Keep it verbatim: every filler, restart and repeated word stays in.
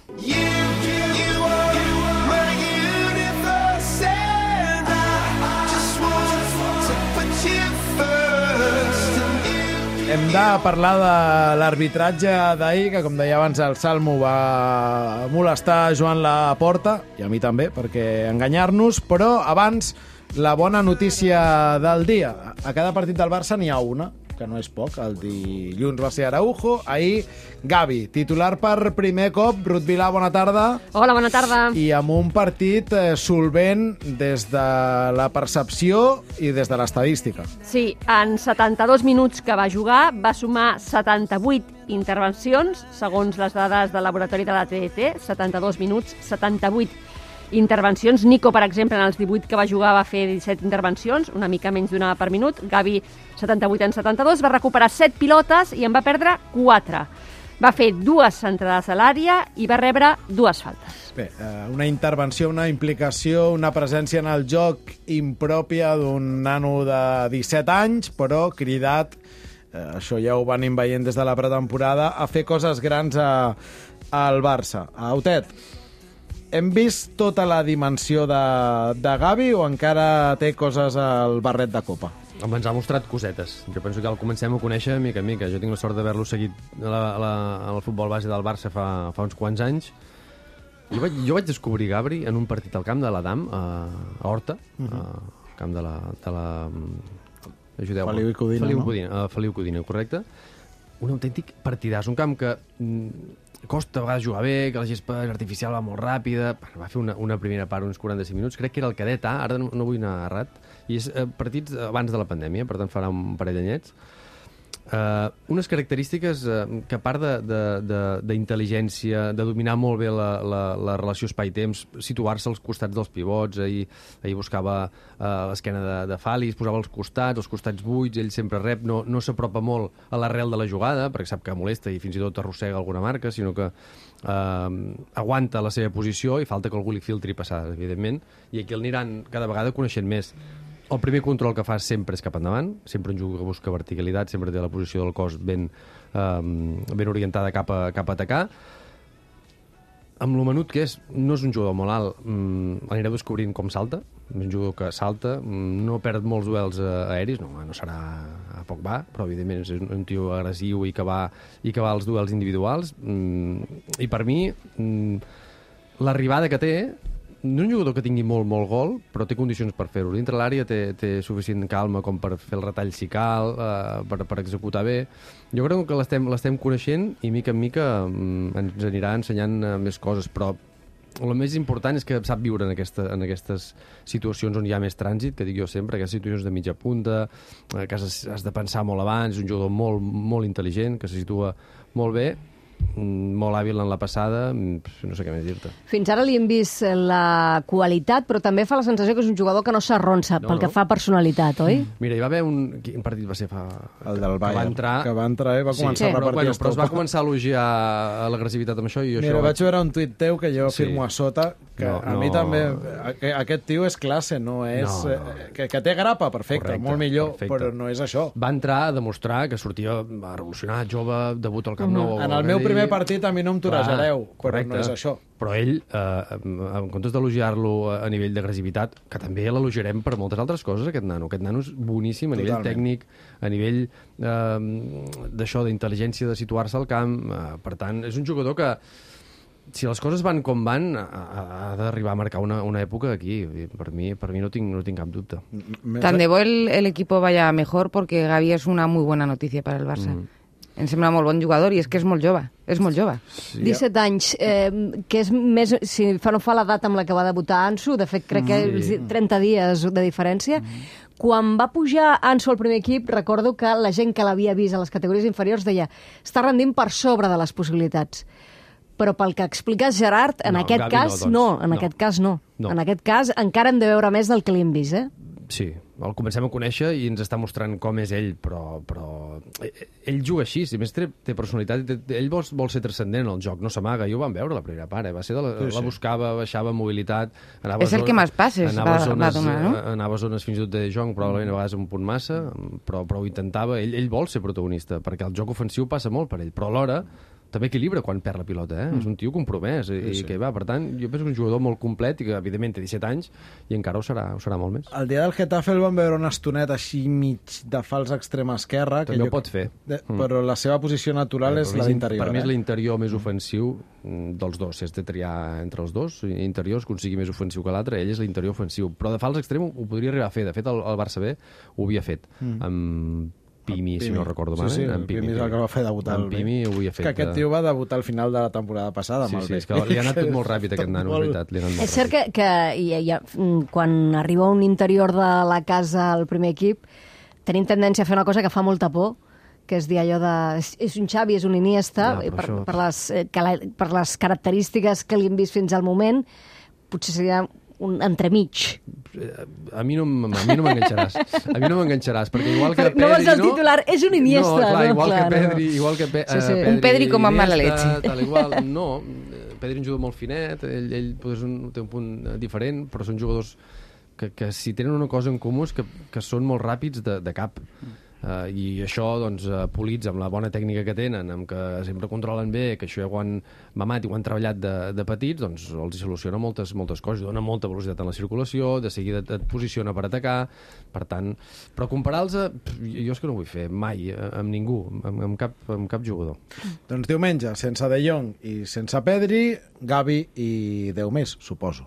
Hem de parlar de l'arbitratge d'ahir, que com deia abans el Salmo va molestar Joan Laporta, i a mi també, perquè enganyar-nos, però abans la bona notícia del dia. A cada partit del Barça n'hi ha una, que no és poc. El dilluns va ser Araujo, ahir Gavi, titular per primer cop. Ruth Vilà, bona tarda. Hola, bona tarda. I amb un partit eh, solvent des de la percepció i des de l'estadística. Sí, en setanta-dos minuts que va jugar va sumar setanta-vuit intervencions, segons les dades del laboratori de la T D T, setanta-dos minuts, setanta-vuit intervencions. Nico, per exemple, en els divuit que va jugar va fer disset intervencions, una mica menys d'una per minut. Gavi, setanta-vuit en setanta-dos, va recuperar set pilotes i en va perdre quatre. Va fer dues centrades a l'àrea i va rebre dues faltes. Bé, una intervenció, una implicació, una presència en el joc impròpia d'un nano de disset anys, però cridat, eh, això ja ho venim veient des de la pretemporada, a fer coses grans a, al Barça. Autet, hem vist tota la dimensió de, de Gavi o encara té coses al barret de copa? Home, ens ha mostrat cosetes. Jo penso que el comencem a conèixer mica en mica. Jo tinc la sort d'haver-lo seguit a la, a la, al futbol base del Barça fa, fa uns quants anys. Jo vaig, jo vaig descobrir Gabri en un partit al camp de l'Adam, a, a Horta, uh -huh. al camp de la... De la ajudeu-me. Feliu i Codina, Feliu no? Codina, uh, Feliu Codina, correcte. Un autèntic partidàs, un camp que... Mm, costa a vegades jugar bé, que la gespa artificial va molt ràpida. Va fer una, una primera part, uns quaranta-cinc minuts. Crec que era el cadet A, ara no, no vull anar errat. I és eh, partits abans de la pandèmia, per tant farà un parell d'anyets. Uh, unes característiques uh, que a part d'intel·ligència, de, de, de dominar molt bé la, la, la relació espai-temps, situar-se als costats dels pivots, ahir, ahir buscava uh, l'esquena de, de Fali, es posava als costats, els costats buits, ell sempre rep, no, no s'apropa molt a l'arrel de la jugada, perquè sap que molesta i fins i tot arrossega alguna marca, sinó que uh, aguanta la seva posició i falta que algú li filtri passades, evidentment, i aquí el aniran cada vegada coneixent més. El primer control que fa sempre és cap endavant, sempre un jugador que busca verticalitat, sempre té la posició del cos ben, um, ben orientada cap a, cap a atacar. Amb lo menut que és, no és un jugador molt alt, um, anireu descobrint com salta, és un jugador que salta, um, no perd molts duels uh, aeris, no, no serà a poc va, però evidentment és un, un tio agressiu i que va, i que va als duels individuals, um, i per mi um, l'arribada que té, no és un jugador que tingui molt, molt gol, però té condicions per fer-ho. Dintre l'àrea té, té suficient calma com per fer el retall si cal, eh, per, per executar bé. Jo crec que l'estem l'estem coneixent i mica en mica mm, ens anirà ensenyant uh, més coses, però el més important és que sap viure en, aquesta, en aquestes situacions on hi ha més trànsit, que dic jo sempre, aquestes situacions de mitja punta, eh, que has, has de pensar molt abans, és un jugador molt, molt intel·ligent, que se situa molt bé, molt hàbil en la passada, no sé què més dir-te. Fins ara li hem vist la qualitat, però també fa la sensació que és un jugador que no s'arronsa no, pel no. que fa personalitat, oi? Mira, hi va haver un... Quin partit va ser? Fa... El del Bayern, que va entrar, que va entrar i va començar sí, a però, repartir bueno, estopa. però es va començar a elogiar l'agressivitat amb això i jo Mira, això... vaig veure un tuit teu que jo Sí. firmo a sota, que No, a no. mi també... Aquest tio és classe, no és... No, no. eh, Que, que té grapa, perfecte, Correcte, molt millor, perfecte. però no és això. Va entrar a demostrar que sortia revolucionat, jove, debut al Camp Nou. En el meu primer partit a mi no em torejareu, però correcte. no és això. Però ell, eh, en comptes d'elogiar-lo a nivell d'agressivitat, que també l'elogiarem per moltes altres coses, aquest nano. Aquest nano és boníssim a nivell Totalment. tècnic, a nivell eh, d'això, d'intel·ligència, de situar-se al camp. Eh, per tant, és un jugador que, si les coses van com van, ha, ha d'arribar a marcar una, una època aquí. Per mi, per mi no, tinc, no tinc cap dubte. Tan de bo el, el equipo vaya mejor, porque Gavi es una muy buena noticia para el Barça. Mm. Em sembla molt bon jugador i és que és molt jove, és molt jove. Sí, disset anys, eh, que és més, si fa no fa l'edat amb la que va debutar Ansu, de fet crec que Sí. trenta dies de diferència. Quan va pujar Ansu al primer equip, recordo que la gent que l'havia vist a les categories inferiors deia està rendint per sobre de les possibilitats. Però pel que expliques, Gerard, en No, aquest Gavi cas no, no, doncs. en No. aquest cas no. No. En aquest cas encara hem de veure més del que li hem vist, eh? Sí, el comencem a conèixer i ens està mostrant com és ell, però, però ell juga així, si més té, té personalitat, té, ell vol, vol ser transcendent en el joc, no s'amaga, jo ho vam veure la primera part, eh? Va ser de la, Sí, sí. la buscava, baixava mobilitat, anava És el a que més passes anava a va- zones, va donar, no? anava a zones fins i tot de Jong, probablement a vegades un punt massa, però, però ho intentava, ell, ell vol ser protagonista, perquè el joc ofensiu passa molt per ell, però alhora també equilibra quan perd la pilota, eh? Mm. És un tio compromès, i, sí, sí. i que va, per tant, jo penso que és un jugador molt complet i que, evidentment, té disset anys i encara ho serà, ho serà molt més. El dia del Getafe el vam veure una estoneta així mig de fals extrema esquerra. També que ho pot fer. De, mm. Però la seva posició natural eh, és la d'interior. Per mi és eh? l'interior més ofensiu dels dos. Si has de triar entre els dos interiors, que un sigui més ofensiu que l'altre, ell és l'interior ofensiu. Però de fals extrem ho podria arribar a fer. De fet, el, el Barça B ho havia fet. Mm. Amb Pimi, Pimi, si no recordo sí, mal. Sí, en Pimi, Pimi és el que va fer debutar. En Pimi ho havia fet. Que aquest tio va debutar al final de la temporada passada. Sí, amb el sí, és que li ha anat tot molt ràpid, aquest nano, és veritat. Li ha anat molt és cert que, que ja, ja, quan arriba un interior de la casa al primer equip, tenim tendència a fer una cosa que fa molta por, que és dir allò de... És un Xavi, és un Iniesta, ja, per, això... per, les, per les característiques que li hem vist fins al moment, potser seria un entremig. A mi no, a mi no m'enganxaràs. A mi no m'enganxaràs, perquè igual que Pedri... No vols el titular, és un Iniesta. No, clar, no? igual clar, que Pedri... No. Igual que Pe sí, sí. Pedri un Pedri com amb mala Iniesta, leche. Tal igual. No, Pedri és un jugador molt finet, ell, ell és un, té un punt diferent, però són jugadors que, que si tenen una cosa en comú és que, que són molt ràpids de, de cap. Uh, i això, doncs, uh, polits amb la bona tècnica que tenen, amb que sempre controlen bé, que això ja ho han mamat i ho han treballat de, de petits, doncs els soluciona moltes, moltes coses, dona molta velocitat en la circulació, de seguida et posiciona per atacar, per tant, però comparar-los, jo és que no vull fer mai, amb ningú, amb, amb, cap, amb cap jugador. Doncs diumenge, sense De Jong i sense Pedri, Gavi i deu més, suposo.